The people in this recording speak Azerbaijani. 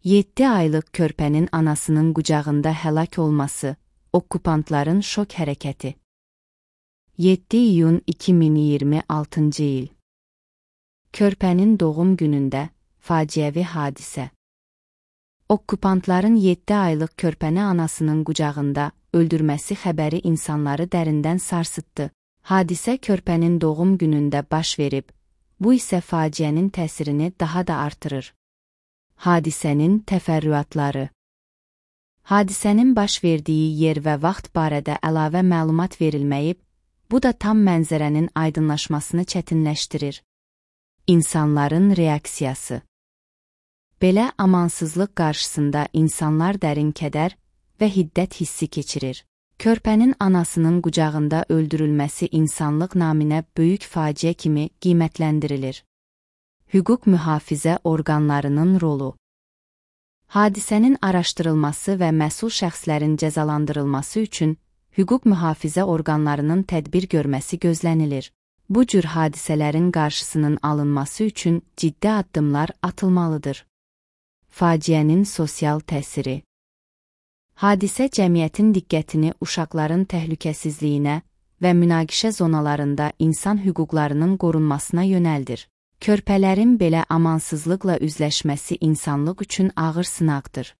7 aylıq körpənin anasının qucağında həlak olması, okupantların şok hərəkəti. 7 iyun 2026-cı il. Körpənin doğum günündə faciəvi hadisə. Okupantların 7 aylıq körpəni anasının qucağında öldürməsi xəbəri insanları dərindən sarsıtdı. Hadisə körpənin doğum günündə baş verib, bu isə faciənin təsirini daha da artırır. Hadisənin təfərrüatları. Hadisənin baş verdiyi yer və vaxt barədə əlavə məlumat verilməyib, bu da tam mənzərənin aydınlaşmasını çətinləşdirir. İnsanların reaksiyası. Belə amansızlıq qarşısında insanlar dərin kədər və hiddət hissi keçirir. Körpənin anasının qucağında öldürülməsi insanlıq naminə böyük faciə kimi qiymətləndirilir. Hüquq mühafizə orqanlarının rolu. Hadisənin araşdırılması və məsul şəxslərin cəzalandırılması üçün hüquq mühafizə orqanlarının tədbir görməsi gözlənilir. Bu cür hadisələrin qarşısının alınması üçün ciddi addımlar atılmalıdır. Faciənin sosial təsiri. Hadisə cəmiyyətin diqqətini uşaqların təhlükəsizliyinə və münaqişə zonalarında insan hüquqlarının qorunmasına yönəldir. Körpələrin belə amansızlıqla üzləşməsi insanlıq üçün ağır sınaqdır.